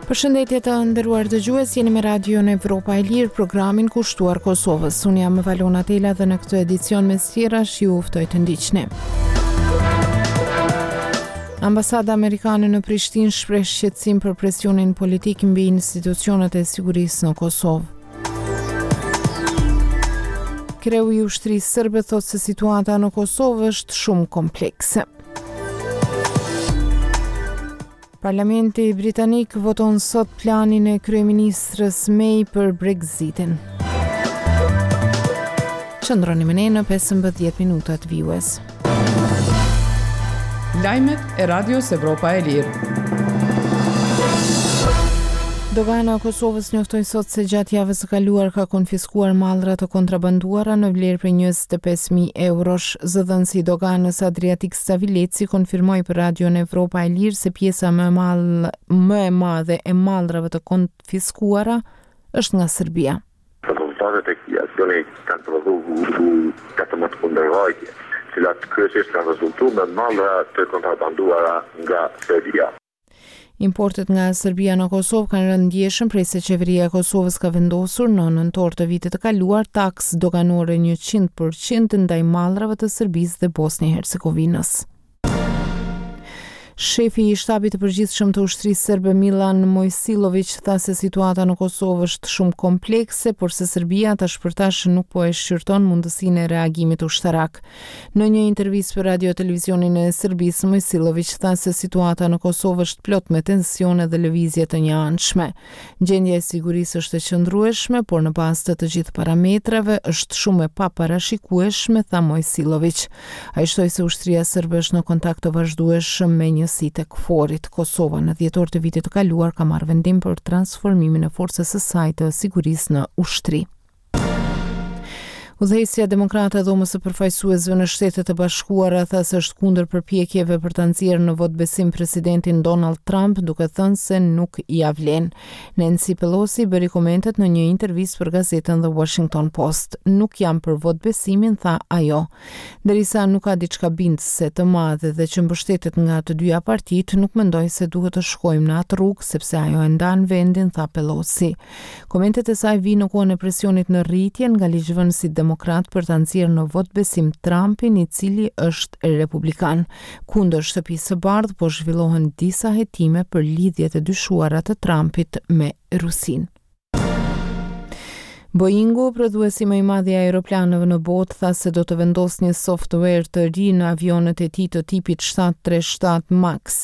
Përshëndetje të nderuar dëgjues, jeni me Radion Evropa e Lirë, programin kushtuar Kosovës. Unë jam Valona Tela dhe në këtë edicion mes tjerash ju ftoj të ndiqni. Ambasada amerikane në Prishtinë shpreh shqetësim për presionin politik mbi institucionet e sigurisë në Kosovë. Kreu i ushtrisë serbe thotë se situata në Kosovë është shumë komplekse. Parlamenti britanik voton sot planin e kryeministres May për Brexitin. Qëndroni me ne në 15 minutat vijuese. Lajmet e Radios Evropa e Lirë. Dogana e Kosovës njoftoi sot se gjatë javës së kaluar ka konfiskuar mallra të kontrabanduara në vlerë prej 25.000 eurosh. Zëdhënësi i doganës Adriatik Stavileci konfirmoi për Radion Evropa e Lirë se pjesa më e mall, më e madhe e mallrave të konfiskuara është nga Serbia. Rezultatet e këtij aksioni kanë prodhuar 18 kundërvajtje, të cilat kryesisht kanë rezultuar me mallra të kontrabanduara nga Serbia. Importet nga Serbia në Kosovë kanë rënë ndjeshëm prej se qeveria e Kosovës ka vendosur në nëntor të vitit të kaluar taksë doganore 100% ndaj mallrave të Serbisë dhe Bosnjë-Hercegovinës. Shefi i Shtabit të Përgjithshëm të Ushtrisë Serbe Millan Mojsiloviq tha se situata në Kosovë është shumë komplekse, por se Serbia tash për tash nuk po e shqyrton mundësinë e reagimit ushtarak. Në një intervistë për Radio Televizionin e Serbisë, Mojsiloviq tha se situata në Kosovë është plot me tensione dhe lëvizje të njëanshme. Gjendja e sigurisë është e qëndrueshme, por në bazë të të gjithë parametrave është shumë e paparashikueshme, tha Mojsiloviq. Ai shtoi se ushtria serbe është në kontakt të vazhdueshëm me njësitë e KFOR-it. Kosova në dhjetor të vitit të kaluar ka marrë vendim për transformimin e forcës së saj të sigurisë në ushtri. Udhëheqësja demokrate e Dhomës së Përfaqësuesve në Shtetet e Bashkuara tha se është kundër përpjekjeve për ta nxjerrë në votëbesim presidentin Donald Trump, duke thënë se nuk ia vlen. Nancy Pelosi bëri komentet në një intervistë për gazetën The Washington Post. Nuk jam për votëbesimin, tha ajo. Derisa nuk ka diçka bindëse të madhe dhe që mbështetet nga të dyja partitë, nuk mendoj se duhet të shkojmë në atë rrugë, sepse ajo e ndan vendin, tha Pelosi. Komentet e saj vijnë në kohën e presionit në rritje nga ligjvënësit demokratë për ta nxjerrë në votëbesim Trumpin, i cili është republikan. Kundër Shtëpisë së Bardhë po zhvillohen disa hetime për lidhjet e dyshuara të Trumpit me Rusinë. Boeingu, prodhuesi më i madh i aeroplanëve në botë, tha se do të vendosë një software të ri në avionët e tij të tipit 737 MAX.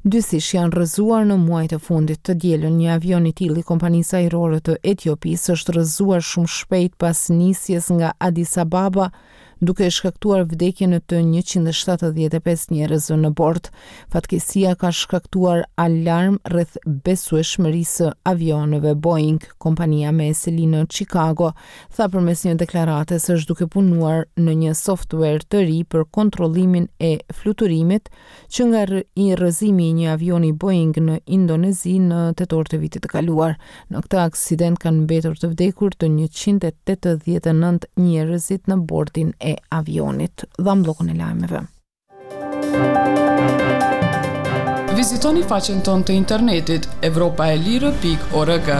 Dyfish janë rrëzuar në muajt e fundit. Të dielën, një avion i tillë i kompanisë ajrore të Etiopisë është rrëzuar shumë shpejt pas nisjes nga Addis Ababa, duke shkaktuar vdekjen e të 175 njerëzve në bord. Fatkeqësia ka shkaktuar alarm rreth besueshmërisë së avionëve Boeing. Kompania me seli në Chicago tha përmes një deklarate se është duke punuar në një software të ri për kontrollimin e fluturimit që nga i rrëzimi i një avioni Boeing në Indonezi në tetor të vitit të kaluar. Në këtë aksident kanë mbetur të vdekur të 189 njerëzit në bordin e avionit. Dhamë bllokun e lajmeve. Vizitoni faqen tonë të internetit evropaelire.org.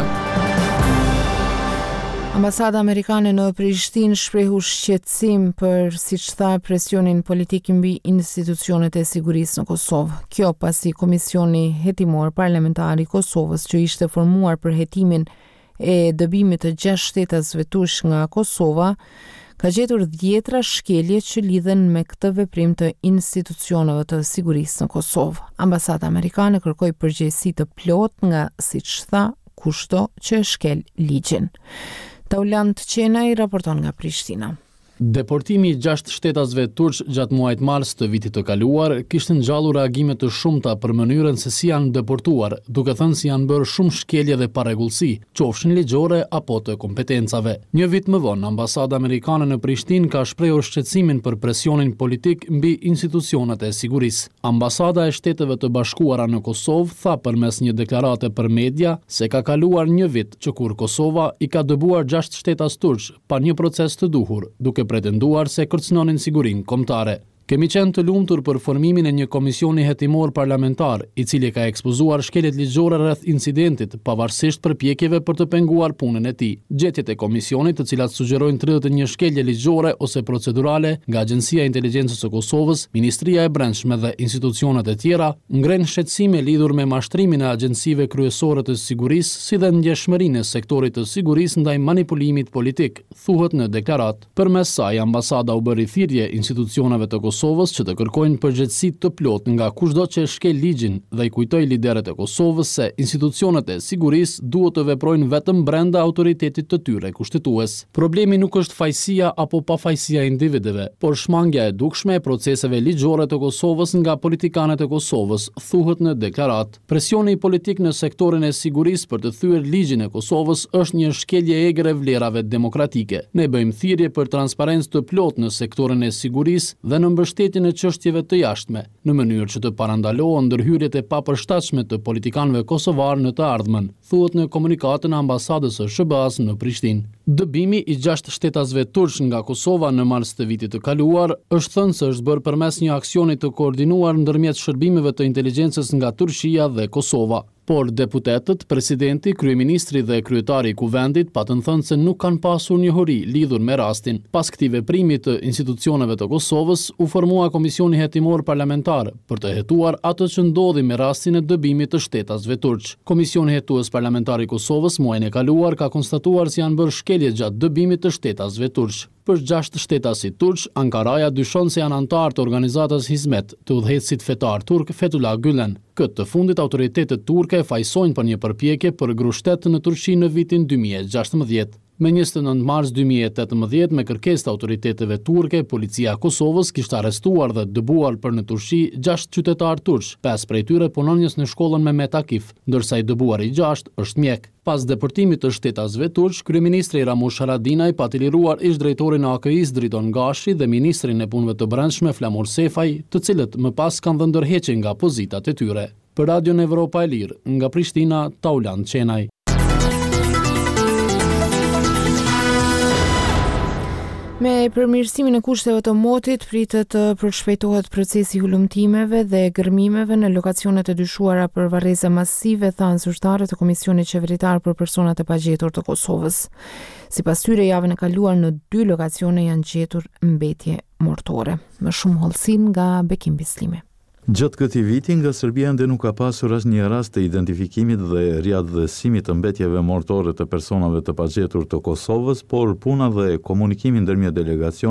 Ambasada amerikane në Prishtinë shprehu shqetësim për, siç tha, presionin politik mbi institucionet e sigurisë në Kosovë. Kjo pasi Komisioni Hetimor Parlamentar i Kosovës që ishte formuar për hetimin e dëbimit të gjashtë shtetasve turq nga Kosova, ka gjetur dhjetra shkelje që lidhen me këtë veprim të institucioneve të sigurisë në Kosovë. Ambasada amerikane kërkoi përgjegjësi të plotë nga, siç tha, kushdo që e shkel ligjin. Taulant Qenaj raporton nga Prishtina. Deportimi i gjashtë shtetasve turq gjatë muajit mars të vitit të kaluar kishte ngjallur reagime të shumta për mënyrën se si janë deportuar, duke thënë se janë bërë shumë shkelje dhe parregullsi, qofshin ligjore apo të kompetencave. Një vit më vonë, ambasada amerikane në Prishtinë ka shprehur shqetësimin për presionin politik mbi institucionet e sigurisë. Ambasada e Shteteve të Bashkuara në Kosovë tha përmes një deklarate për media se ka kaluar një vit që kur Kosova i ka dëbuar gjashtë shtetas turq pa një proces të duhur, duke pretenduar se kërcënonin sigurinë kombëtare. Kemi qenë të lumtur për formimin e një komisioni hetimor parlamentar, i cili ka ekspozuar shkeljet ligjore rreth incidentit, pavarësisht përpjekjeve për të penguar punën e tij. Gjetjet e komisionit, të cilat sugjerojnë 31 shkelje ligjore ose procedurale nga Agjencia e Inteligjencës së Kosovës, Ministria e Brendshme dhe institucionet e tjera, ngrenë shqetësime lidhur me mashtrimin e agjencive kryesore të sigurisë si dhe ndjeshmërinë e sektorit të sigurisë ndaj manipulimit politik, thuhet në deklaratë. Përmes saj, ambasada u bëri thirrje institucioneve të Kosovës që të kërkojnë përgjegjësi të plotë nga kushdo që e shkel ligjin dhe i kujtoi liderët e Kosovës se institucionet e sigurisë duhet të veprojnë vetëm brenda autoritetit të tyre kushtetues. Problemi nuk është fajësia apo pafajësia e individëve, por shmangia e dukshme e proceseve ligjore të Kosovës nga politikanët e Kosovës, thuhet në deklaratë. Presioni politik në sektorin e sigurisë për të thyer ligjin e Kosovës është një shkelje e egër e vlerave demokratike. Ne bëjmë thirrje për transparencë të plotë në sektorin e sigurisë dhe në mbështetjen e çështjeve të jashtme, në mënyrë që të parandalohen ndërhyrjet e papërshtatshme të politikanëve kosovarë në të ardhmen. Thuhet në komunikatën e Ambasadës së SHBA-së në Prishtinë. Dëbimi i gjashtë shtetasve turq nga Kosova në mars të vitit të kaluar, është thënë se është bërë përmes një aksioni të koordinuar ndërmjet shërbimeve të inteligjencës nga Turqia dhe Kosova. Por deputetët, presidenti, kryeministri dhe kryetari i Kuvendit patën thënë se nuk kanë pasur njohuri lidhur me rastin. Pas këtij veprimi të institucioneve të Kosovës, u formua Komisioni Hetimor Parlamentar për të hetuar atë që ndodhi me rastin e dëbimit të shtetasve turq. Komisioni Hetues Parlamentar i Kosovës muajin e kaluar ka konstatuar se janë bërë shkelje gjatë dëbimit të shtetasve turq. Për gjashtë shtetasit turq, Ankaraja dyshon se janë anëtarë të organizatës Hizmet, të udhëheqësit fetar turk Fethullah Gülen. Këtë të fundit autoritetet turke e fajësojnë për një përpjekje për grusht-shtet në Turqi në vitin 2016. Më 29 mars 2018, me kërkesë të autoriteteve turke, policia e Kosovës kishte arrestuar dhe dëbuar për në Turqi gjashtë qytetarë turq, pesë prej tyre punonjës në shkollën Mehmet Akif, ndërsa i dëbuari i gjashtë është mjek. Pas deportimit të shtetasve turq, kryeministri Ramush Haradinaj pati liruar ish-drejtorin e AKI-së Driton Gashi dhe ministrin e Punëve të Brendshme Flamur Sefaj, të cilët më pas kanë dhënë dorëheqje nga pozitat e tyre. Për Radion Evropa e Lirë, nga Prishtina, Taulant Qenaj. Me përmirësimin e kushteve të motit, pritet të përshpejtohet procesi i hulumtimeve dhe gërmimeve në lokacionet e dyshuara për varreza masive, thanë zyrtarët e Komisionit Qeveritar për Personat e Pagjetur të Kosovës. Sipas tyre, javën e kaluar në dy lokacione janë gjetur mbetje mortore. Më shumë hollësi nga Bekim Bislimi. Gjatë këtij viti, nga Serbia ende nuk ka pasur asnjë rast të identifikimit dhe riatdhesimit të mbetjeve mortore të personave të pagjetur të Kosovës, por puna dhe komunikimi ndërmjet delegacionit.